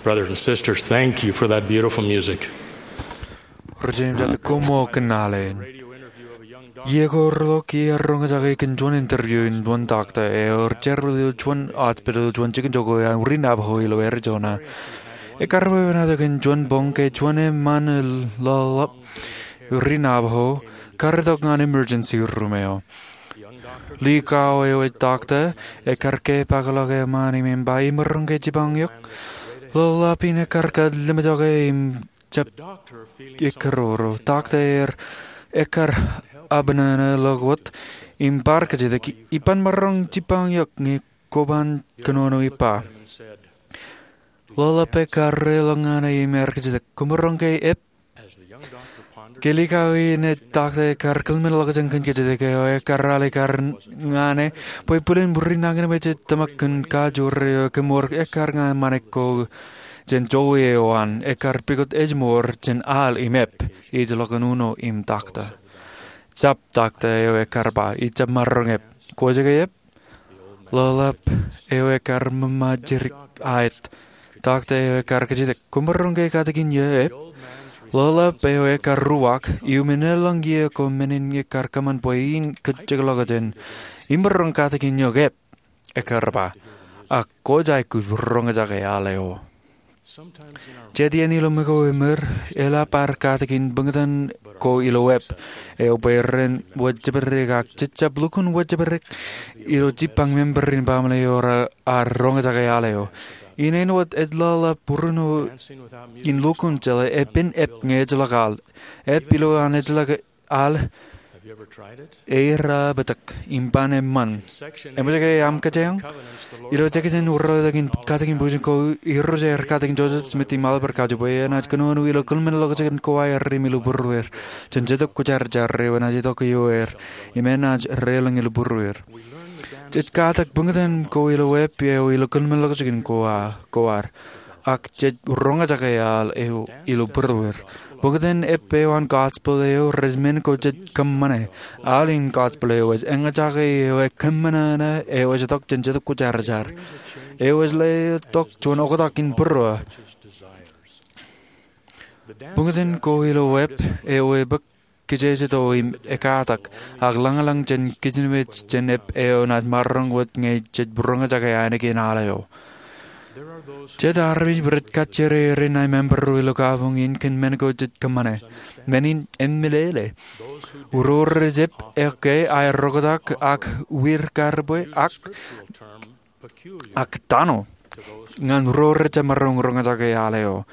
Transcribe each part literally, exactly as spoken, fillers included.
Brothers and sisters, thank you for that beautiful music. Rijjimjata, koṃṃool kōn al eṇ. Iiō ko relok iar roñjake kōn juon interview in juon takta eo rej jerbal ilo juon hospital ilo juon jikin jokwe an ri Navajo ilo Arizona. Ekkar bwe en ato kōn juon boñ ke juon eṃṃan ḷōḷḷap ri Navajo kar itok ñan emergency room eo. Likao eo e takta ekkar kepaakḷọk eṃṃan im ba, imaroñ ke jipañ eok. Ḷōḷḷap in ekkar kōtḷimjake im jab ekkeroro. Takta er ekkar abṇōṇō ḷọk wōt im bar kōjatdikdik, iban maroñ jipañ eok ñe kwōban kōnono ippa. Ḷōḷḷap ekkar reḷọk ñan e im ekkar kōjatdikdik, koṃaroñ ke ep? Ke likao in e takta ekkar kōḷmenḷọkjeṇ kōn kōjatdikdik eo, ekkar alikkar ñan e bwe bwilin ri nañinmej ej tōmak kōn kajoor eo kōmour ekkar ñan ṃanik ko jān jokwe eo an, ekkar pukot ej mour jān al im ep. Ij ḷọk uno im takta. Jab, takta eo ekkar ba, ij jab maroñ ep. Kwōj ke ep? Ḷōḷḷap eo ekkar ṃōṃa jidik aet. Takta eo ekkar kōjatdikdik, koṃaroñ ke katakin eō ep? Ḷōḷḷap eo ekkar ruwaak, iuṃwin eḷaññe iiō ko men in ekkar kōṃṃan bwe in kōjjekḷọkjeṇ, imaroñ katakin eok ep? Ekkar ba, ak kwōj aikuj roñjake al eo. Jet iien ilo ṃōko eo eṃōr, eḷap ad katakin bōktan ko ilo ep eo bwe ren wōt jepdek ak jej jab lukkuun wōt jepdek ilo jipañ member in baaṃle eo raar roñjake al eo. Ineen wōt ej ḷōḷḷap būruno in lukkuun jeḷā epen ep ñe ejjeḷọk al. Ep ilowaan ejjeḷọk al eirabōtōk im ban eṃṃan. Eṃōj ke aṃ kōjeañ? Ilo jekjān ureotak in katakin bwijin ko Irooj ear katakin Joseph Smith im Oliver Cowdery bwe enaaj kōnono ilo kōḷmenḷọkjeṇ ko aer im ilo būrueir jān Jetōb Kwōjarjar eo enaaj itok ioer im enaaj reḷọñ ilo būrueir. Jej katak bōktan ko ilo ep eo ilo kōḷmenḷọkjeṇ ko a- ko ad, ak jej roñjake al eo ilo būrueir. Bōktan ep eo an gospel eo rej men ko jej kōṃṃane. Al in gospel eo ej eñjake eo e kōṃṃan eo ej itok jān Jetōb Kwōjarjar eo ej letok juon oktak in būruō. Bōktan ko ilo ep eo e bōk kijejeto im ekatak ak lañlañ jān kijinmej jān ep eo enaaj maroñ wōt ñe jej roñjake ainikien al eo. Jet armej rej kajjirere ṇae member ro ilo kabuñ in kōn men ko jej kōṃṃane. Men in emeḷeḷe. Ro rej ep eo ke aer oktak ak wir karbwe ak ak tano ñan ro rej jab maroñ roñjake al eo.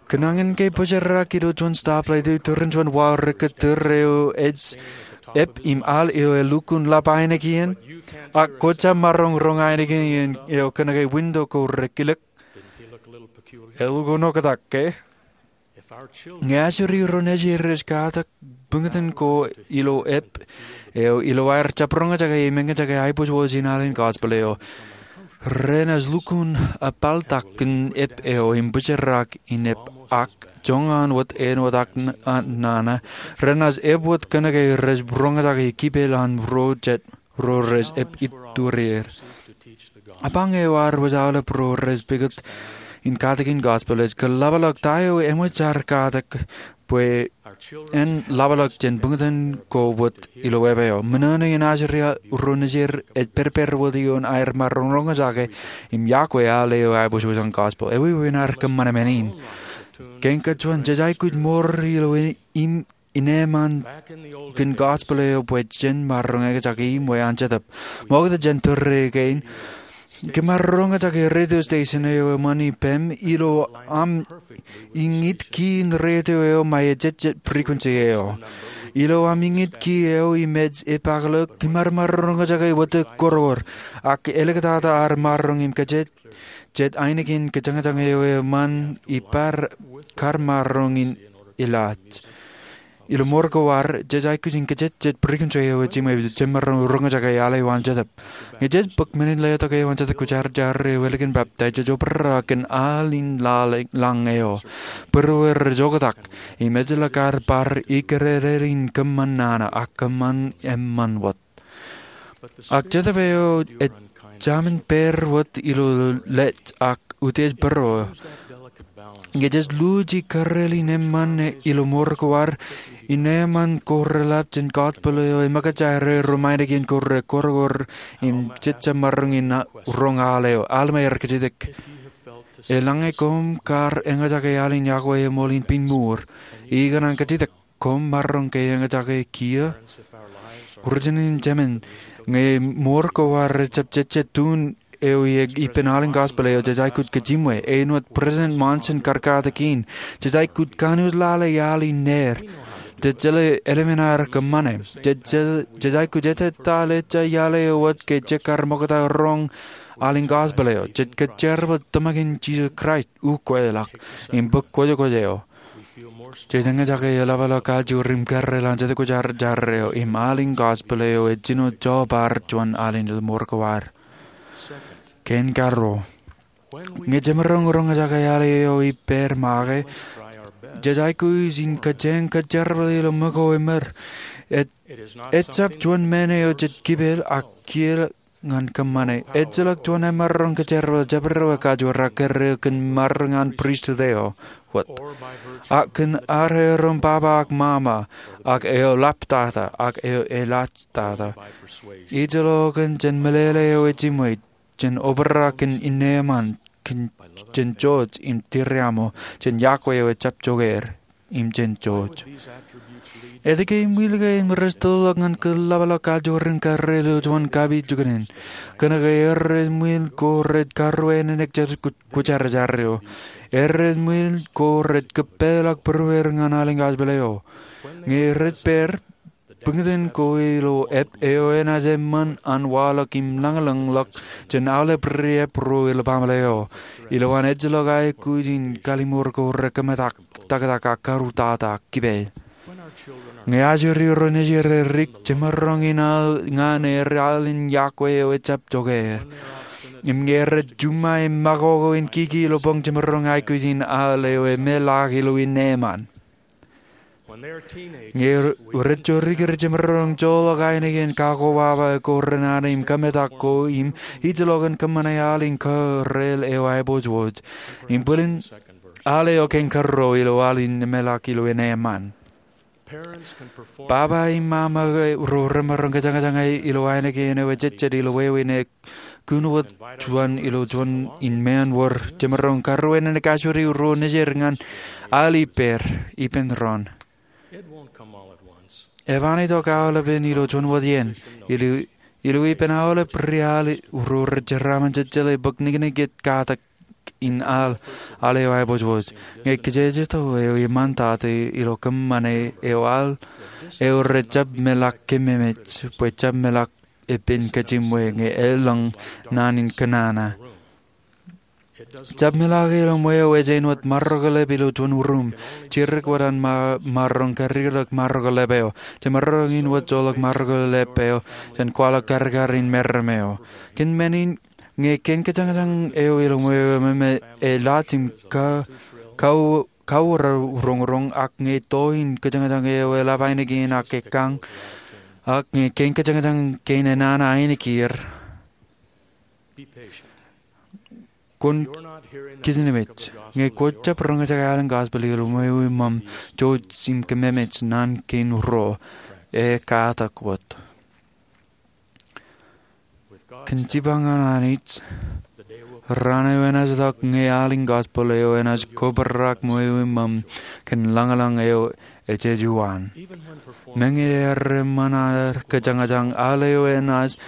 Kōn añin ke bōjrak ilo juon stoplight eo iturin juon wao rej kōtōr eo ej ep im al eo elukkuun ḷap ainikien, ak kwōj jab maroñ roñ ainikien eo kōnke window ko rej kilōk? Elukkuun oktak ke? Ñe ajri ro nejid rej katak bōktan ko ilo ep eo ilo aer jab roñjake im eñjake aiboojoj in al in gospel eo, renaaj lukkuun epaltak kōn ep eo im bōjrak in ep ak joñan wōt āinwōt ak nana, renaaj ep wōt kōnke rej roñjake kipel an ro jet ro rej ep iturier. Apañ eo ad wōj aolep ro rej pukot in katakin gospel ej kōḷapḷọk ta eo eṃōj ad katak bwe en ḷapḷọk jān bōktan ko wōt ilo ep eo. Ṃōṇōṇō in ajri ro nejid ej pedped wōt ioon aer maroñ roñjake im yokwe al eo aiboojoj an gospel. Ewi wāween ad kōṃṃane men in? Kein kajjojo jej aikuj mour ilo im in eṃṃan kōn gospel eo bwe jen maroñ eñjake im wāween an Jetōb. Ṃokta jān tōre kein, kōm ar roñjake radio station eo eṃṃan ippām ilo aṃ iñit key in radio eo ṃae ejejjet frequency eo. Ilo aṃ iñit key eo im ej epaakḷọk, kōm ar maroñ roñjake wōt kōrkōr ak āliktata ad maroñ im kōjejjet ainikien kōjañjañ eo eṃṃan ippād kar maroñ in ilaaj. Ilo mour ko ad, jej aikuj in kōjejjet frequency eo ej jiṃwe bwe jen maroñ roñjake al eo an Jetōb. Ñe jej bōk men in letok eo an Jetōb Kwōjarjar eo ālikin baptaiz, jej obrak kōn al in laḷ lañ eo. Būrueir rej oktak im ejjeḷọk ad bar ikōrere in kōṃṃan nana ak kōṃṃan eṃṃan wōt. Ak Jetōb eo ej jamin pād wōt ilo lej ak utiej bōro. Ñe jej luuji karreel in eṃṃan ilo mour ko ad, innem an ko reḷap jān gospel eo eṃōkaj aer ro ṃaanḷọk in ko rekwōrkwōr im jejjab maroñ in roñ al eo. Alma ear kajjitōk, eḷaññe koṃ kar eñjake al in yokwe eṃool in piñmuur, ikōṇaan kajjitōk, koṃ maroñ ke eñjake kiiō? Rijin in jemān, ñe mour ko ad ejjab jejjet tun eo ippān al in gospel eo, jej aikuj kōjeṃwe. Āinwōt President Monson kar katakin, jej aikuj kanooj lale al in neer. Jej jeḷā eḷmen aer kōṃṃane. Jej aikuj ettā ḷe ejja iaḷ eo wōt ke jekar ṃokta roñ al in gospel eo. Jej kōjerbal tōmak in Jisōs Kraist, ukweḷọk, im bōk kwojekwōj eo. Jej eñjake eḷapḷọk kajoor im karreel an Jetōb Kwōjarjar eo im al in gospel eo ej jino jobar juon al in mour ko ad. Kein karuo, ñe jemaroñ roñjake al eo ippāer make, jej aikuj in kōjeañ kōjerbal ilo ṃōko eṃōj. Ejjab juon men eo jej kipel ak kiil ñan kōṃṃane. Ejjeḷọk juon emaroñ kōjerbal jabdewōt kajoor ak kōrā kōn maroñ an pristut eo wōt, ak kōn areorein baba ak mama, ak eo ḷaptata ak eo elaajtata. Ij lo kōn jān meḷeḷe eo ejiṃwe, jān obrak kōn innem an, jān jouj im tiriaṃo, jān yokwe eo ejjab jokeer, im jān jouj. Etke im wi ke ren rej tōlḷọk ñan kōḷapḷọk kajoor in karreel ilo juon kapijukunen? Kōnke erreo eṃwiin ko rej karuwaineneik Jetōb Kwōjarjar eo. Erreo eṃwiin ko rej kōpeḷḷọk būrueir ñan al in gospel eo. Ñe rej pād, buñtōn ko ilo ep eo enaaj eṃṃan an waḷọk im lañlōñḷọk jān aolep riab ro ilo baaṃle eo. Ilowaan ejjeḷọk aikuj in kalimour ko rekōmetak, taktak ak karuwajjeta ak kipeid. Ñe ajri ro nejid erik, jemaroñ in al ñan er al in yokwe eo ejjab jokeer. Im ñe rej juṃae im makoko in kiki ilo boñ, jemaroñ aikuj in al eo emeḷaak ilo innem an. Ñe rej jorikin, jemaroñ joḷọk ainikien kakobaba ko renana im kōmetak ko im ij lo kōn kōṃṃane al in karreel eo aiboojoj. Im bōlen al eo kein karuo ilo al in emeḷaak ilo innem an. Baba im mama ro remaroñ kōjañjañ ilo ainikien eo ejejjet ilo wāween eo kūn wōt juon ilo juon in meanwōr. Jemaroñ karuwaineneik ajri ro nejid ñan al ippāer ippān doon. Eban itok aolepen ilo juon wōt iien. Ilo ippān aolep ri al ro rej jeraaṃṃan jejjeḷā bōk niknik ej katak in al, al eo aiboojoj. Ñe kōjejjet eo eṃṃan tata ilo kōṃṃane eo, al eo rejjab meḷak kememej bwe jab meḷak epen kōjeṃwe ñe elōñ naan in kōnana. Jab meḷak ilo ṃweo ej āinwōt maroñ ko lep ilo juon ruum. Jidik wōt an maroñ karikrōk maroñ ko lep eo. Jemaroñ in wōt joḷọk maroñ ko lep eo jān kwaḷọk karkar in meram eo. Kōn men in, ñe kein kōjañjañ eo ilo ṃweo eṃōṃ ej laaj im kauwōr roñroñ, ak ñe to in kōjañjañ eo eḷap ainikien ak ekkañ, ak ñe kein kōjañjañ kein enana ainikien, kwōn kijenmej. Ñe kwōjab roñjake al in gospel ilo ṃweo eṃōṃ, jouj im kememej naan kein ruo. Ekatak wōt. Kōn jipañ an Anij, raan eo enaaj ḷọk ñe al in gospel eo enaaj kobrak ṃweo eṃōṃ kōn lañlōñ eo ejejjet an. Meñe ear eṃṃan aer kōjañjañ, al eo enaaj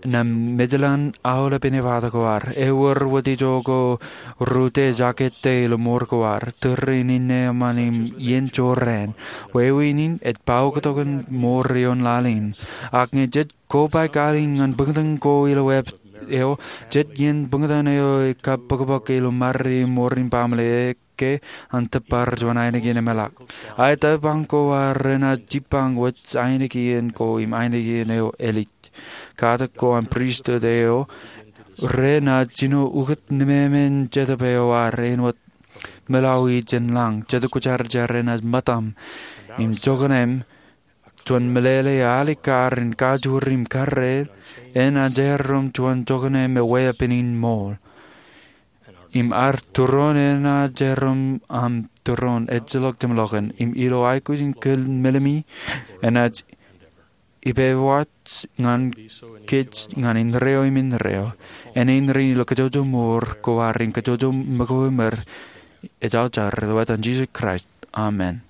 naaj mejeḷan aolep inepata ko ad. Ewōr wōt ijo ko rūtto ej akōtte ilo mour ko ad, tōre in innem an im iien jorrāān. Wāween in ej pāoktokin mour ioon laḷ in. Ak ñe jej kobaik al in ñan buñtōn ko ilo ep eo, jet iien buñtōn eo ekabōkbōk ilo ṃare im mour in baaṃle ke an tōpar juon ainikien emeḷak. Aet tōprak ko ad renaaj jipañ wōj ainikien ko im ainikien eo elij. Katak ko an pristut eo renaaj jino ukōt nemāmein jetōb eo ad āinwōt meḷawi jān lañ. Jetōb Kwōjarjar enaaj ṃōttaṃ im jokōṇāṃ. Juon meḷeḷe alikkar in kajoor im karreel enaaj erom juon jokōṇāṃ weeppān in ṃool. im ad tūroon enaaj erom aṃ tūroon ejjeḷọk jeṃḷọkin im ilo aikuj in kōn meḷeḷe enaaj ippawōj ñan kōj ñan indeeo im indeeo. Eñin rein ilo kōjwōj mour ko ad in kōjwōj ṃōko im ej aujak ilo etan Jisōs Kraist, amen.